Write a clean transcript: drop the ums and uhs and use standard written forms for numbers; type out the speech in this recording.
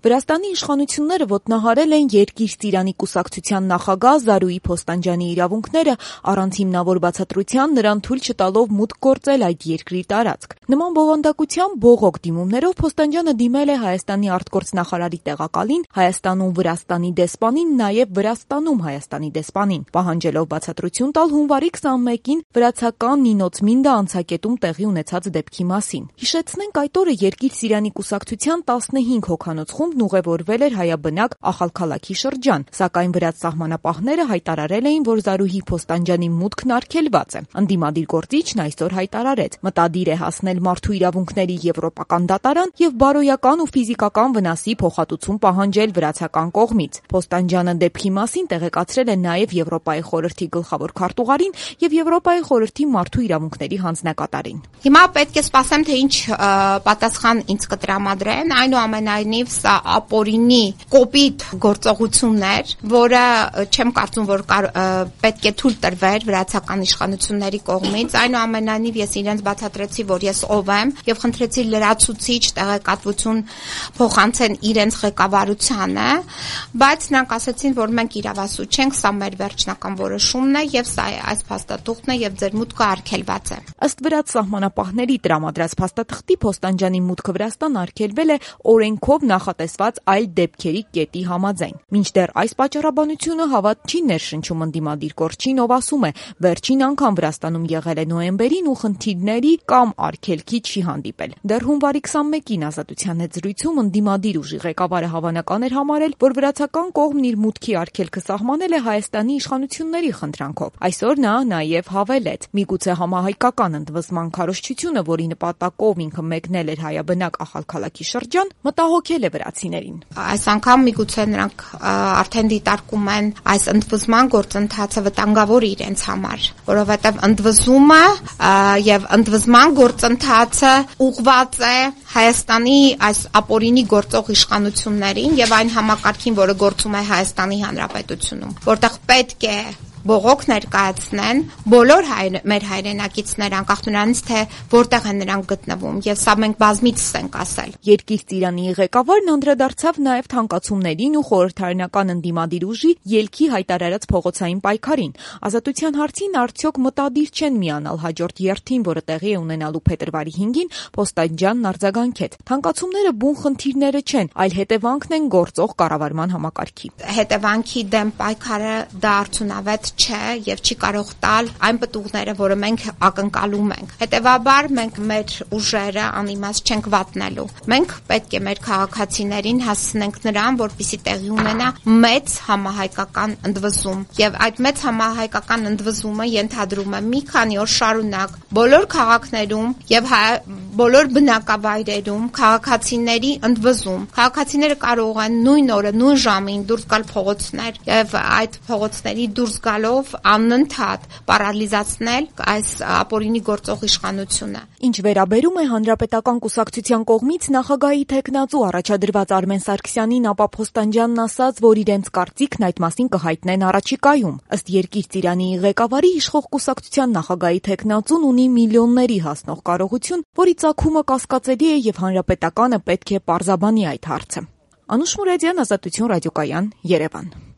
Վրաստանի իշխանությունները ոտնահարել են երկիր ծիրանի կուսակցության նախագահ Զարուհի Փոստանջյանի իրավունքները առանց հիմնավոր բացատրության նրան թույլ չտալով մուտք գործել այդ երկրի տարածք։ Նման բովանդակությամբ բողոք դիմումներով Փոստանջյանը դիմել է Հայաստանի արտգործնախարարի տեղակալին, Հայաստանում Վրաստանի դեսպանին, նաև Վրաստանում Հայաստանի դեսպանին, պահանջելով բացատրություն տալ հունվարի 21-ին վրացական Նինոց Մինդա անցակետում տեղի ունեցած դեպքի մասին։ Հիշեցնենք, այդ օրը երկիր ծիրանի կուսակցության 15 հոգանոց խումբն ուղևորվել էր հայաբնակ Ախալքալաքի շրջան, սակայն վրաց սահմանապահները հայտարարել էին, որ Զարուհի Փոստանջյանի մուտքն արգելված է։ Ընդդիմադիր գործիչն այսօր հայտարարեց, մտադիր է հասնել մարդու իրավունքների եվրոպական դատարան եւ բարոյական ու ֆիզիկական վնասի փոխհատուցում պահանջել վրացական կողմից։ Փոստանջյանը դեպքի մասին տեղեկացրել է նաև Եվրոպայի խորհրդի գլխավոր քարտուղարին եւ Եվրոպայի խորհրդի մարդու իրավունքների հանձնակատարին։ Հիմա պետք է սպասեմ, թե ինչ պատասխան ինձ կտրամադրեն, այնուամենայնիվ սա ապօրինի կոպիտ գործողություններ, որը չեմ կարծում, որ պետք է թույլ տրվեր վրացական իշխանությունների կողմից, այնուամենայնիվ ես իրենց բացատրեցի, որ ես ով եմ եւ խնդրեցի լրացուցիչ տեղեկատվություն փոխանցեն իրենց ղեկավարությանը, բայց նրանք ասացին, որ մենք իրավասու չենք, սա մեր վերջնական որոշումն է եւ սա այս փաստաթուղթն է եւ ձեր մուտքը արգելված է։ Ըստ վրաց սահմանապահների տրամադրած փաստաթղթի Փոստանջյանի մուտքը Վրաստան արգելվել է օրենքով նախատեսված այլ դեպքերի կետի համաձայն։ Մինչդեռ այս պատճառաբանությունը հավատ չի ներշնչում ընդդիմադիր կորչին, ով ասում է, վերջին անգամ Վրաստանում եղել է նոյեմբերին ու խնդիրների կամ արգելքի չի հանդիպել։ Դեռ հունվարի 21-ին Ազատության հետ զրույցում ընդդիմադիր ուժի ղեկավարը հավանական էր համարել, որ վրացական կողմն իր մուտքի արգելքը սահմանել է Հայաստանի իշխանությունների խնդրանքով։ Այսօր նա նաև հավելեց. միգուցե համահայկական ընդվզման քարոզչությունը, որի նպատակով ինքը մեկնել էր հայաբնակ Ախալքալաքի շրջան, մտահոգել է վրացիներին։ Այս անգամ միգուցե նրանք արդեն դիտարկում են այս ընդվզման գործընթացը վտանգավոր իրենց համար, որովհետև ընդվզումը եւ ընդվզման գործընթացը ուղղված է Հայաստանի այս ապօրինի գործող իշխանություններին եւ այն համակարգին, որը գործում է Հայաստանի Հանրապետությունում, որտեղ պետք է բողոք ներկայացնեն բոլոր մեր հայրենակիցներ, անկախ նրանից, թե որտեղ են նրանք գտնվում, եւ սա մենք բազմիցս ենք ասել։ Երկիր ծիրանի ղեկավարն անդրադարձավ նաև թանկացումներին ու խորհրդարանական ընդդիմադիր ուժի ելքի հայտարարած փողոցային պայքարին։ Ազատության հարցին արդյոք մտադիր չեն միանալ հաջորդ երթին, որը տեղի է ունենալու փետրվարի 5-ին, Փոստանջյանն արձագանքեց։ Թանկացումները բուն խնդիրները չեն, այլ հետևանքն են գործող կառավարման համակարգի։ Հետևանքի դեմ պայքարը դա արդյունավետ չէ եւ չի կարող տալ այն պտուղները, որը մենք ակնկալում ենք։ Հետևաբար մենք մեր ուժերը անիմաստ չենք վատնելու։ Մենք պետք է մեր քաղաքացիներին հասցնենք նրան, որպեսզի տեղի ունենա մեծ համահայկական ընդվզում։ Եվ այդ մեծ համահայկական ընդվզումը ենթադրում է մի քանի օր շարունակ բոլոր քաղաքներում եւ բոլոր բնակավայրերում քաղաքացիների ընդվզում։ Քաղաքացիները կարող են նույն օրը, նույն ժամին դուրս գալ փողոցներ եւ այդ փողոցների դուրս գալով անընդհատ պարալիզացնել այս ապօրինի գործող իշխանությունը։ Ինչ վերաբերում է Հանրապետական կուսակցության կողմից նախագահի թեկնածու առաջադրված Արմեն Սարգսյանին, ապա Փոստանջյանն ասաց, որ իրենց կարծիքն այդ մասին կհայտնեն առաջիկայում։ Ըստ Երկիր ծիրանի ղեկավարի, իշխող կուսակցության նախագահի թեկնածուն ունի միլիոնների հասնող կարողություն, որի ծագումը կասկածելի է եւ Հանրապետականը պետք է պարզաբանի այդ հարցը։ Անուշ Մուրադյան, Ազատություն ռադիոկայան, Երևան։